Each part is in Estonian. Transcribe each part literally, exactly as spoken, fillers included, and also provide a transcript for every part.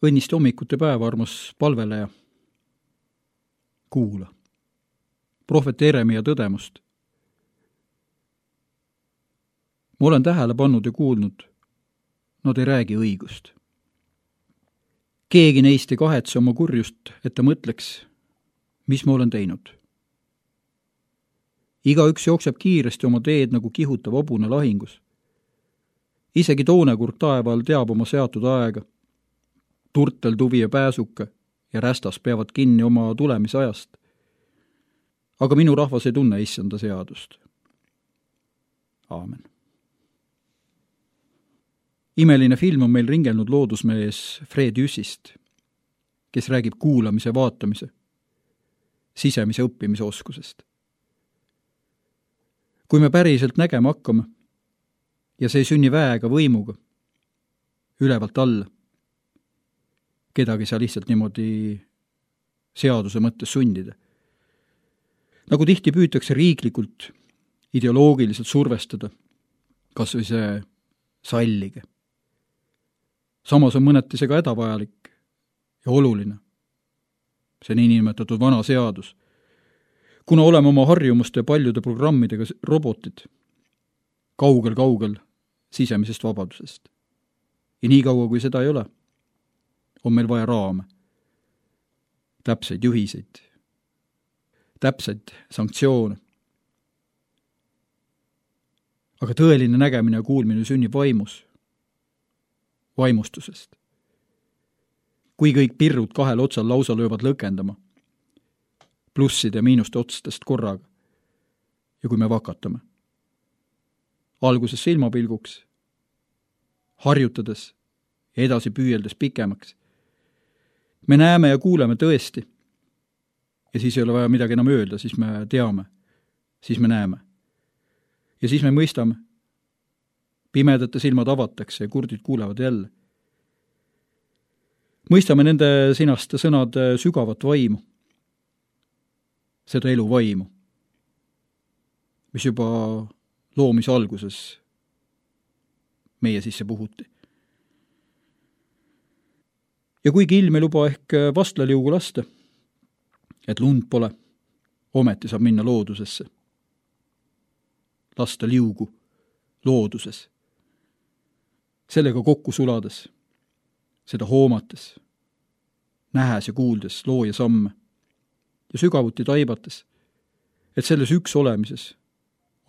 õnniste hommikute päeva, armas palveleja. Kuula. Prohvet Jeremia tõdemust. Ma olen tähele pannud ja kuulnud, nad ei räägi õigust. Keegi neist ei kahetse oma kurjust, et ta mõtleks, mis ma olen teinud. Igaüks jookseb kiiresti oma teed nagu kihutav hobune lahingus. Isegi toonekurg taeval teab oma seatud aega. Turtel, tuvi ja pääsuke ja rästas peavad kinni oma tulemise ajast. Aga minu rahvas ei tunne issanda seadust. Aamen. Imeline film on meil ringelnud loodusmees Fred Jüssist, kes räägib kuulamise, vaatamise, sisemise õppimise oskusest. Kui me päriselt nägema hakkame, ja see ei sünni väega võimuga, ülevalt alla, kedagi saa lihtsalt niimoodi seaduse mõttes sundida. Nagu tihti püütakse riiklikult, ideoloogiliselt survestada, kas või see sallige. Samas on mõneti see ka hädavajalik ja oluline. See on niinimetatud vana seadus. Kuna oleme oma harjumuste paljude programmidega robotid, kaugel-kaugel sisemisest vabadusest. Ja nii kaua, kui seda ei ole, on meil vaja raame, täpseid juhiseid, täpseid sanktsioone. Aga tõeline nägemine ja kuulmine sünnib vaimus, vaimustusest. Kui kõik pirrud kahel otsal lausa löövad lõkendama, plusside ja miinuste otstest korraga, ja kui me vakatame. Alguses silmapilguks, harjutades ja edasi püüeldes pikemaks. Me näeme ja kuuleme tõesti. Ja siis ei ole vaja midagi enam öelda, siis me teame, siis me näeme. Ja siis me mõistame. Pimedate silmad avatakse ja kurdid kuulevad jälle. Mõistame nende sinaste sõnade sügavat vaimu, seda elu vaimu, mis juba loomise alguses meie sisse puhuti. Ja kuigi ilm ei luba ehk vastlaliugu lasta, et lund pole, ometi saab minna loodusesse. Lasta liugu looduses. Sellega kokku sulades, seda hoomates, nähes ja kuuldes looja samme ja sügavuti taibates, et selles üks olemises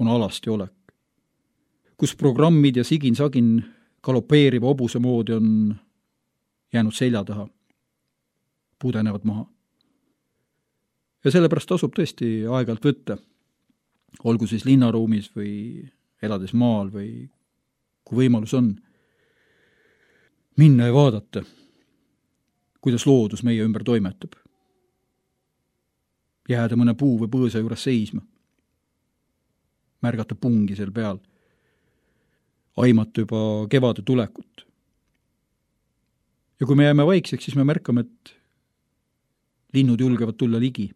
on alasti olek, kus programmid ja sigin-sagin galopeeriva hobuse moodi on jäänud selja taha, pudenevad maha. Ja sellepärast tasub tõesti aegalt võtta, olgu siis linnaruumis või elades maal või kui võimalus on, minna ja vaadata, kuidas loodus meie ümber toimetab. Jääda mõne puu või põõsa juures seisma. Märgata pungi seal peal. Aimata juba kevade tulekut. Ja kui me jääme vaikseks, siis me märkame, et linnud julgevad tulla ligi,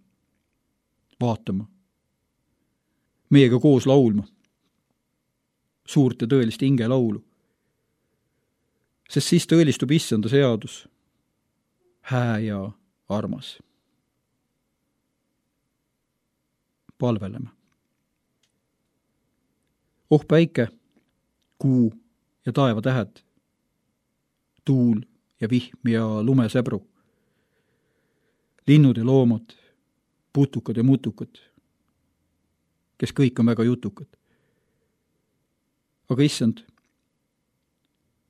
vaatama, meiega koos laulma, suurt ja tõelist hinge laulu. Sest siis tõelistub issanda seadus, hää ja armas. Palveleme. Oh päike, kuu ja taeva tähed, tuul ja vihm ja lumesäbru, linnud ja loomad, putukad ja mutukad, kes kõik on väga jutukad. Aga issand,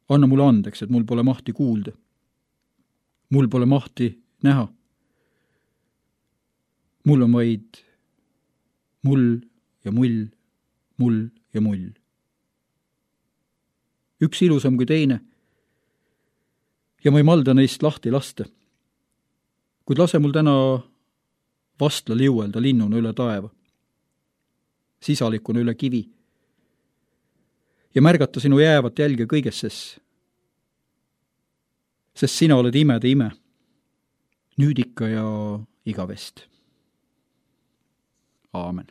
anna mulle andeks, et mul pole mahti kuulda. Mul pole mahti näha. Mul on vaid mull ja mull, mull ja mull. Üks ilusam kui teine. Ja ma ei malda neist lahti lasta. Kuid lase mul täna vastla liuelda linnuna üle taeva, sisalikuna üle kivi ja märgata sinu jäävat jälge kõiges ses. Sest sina oled imede ime, nüüd ikka ja igavest. Aamen.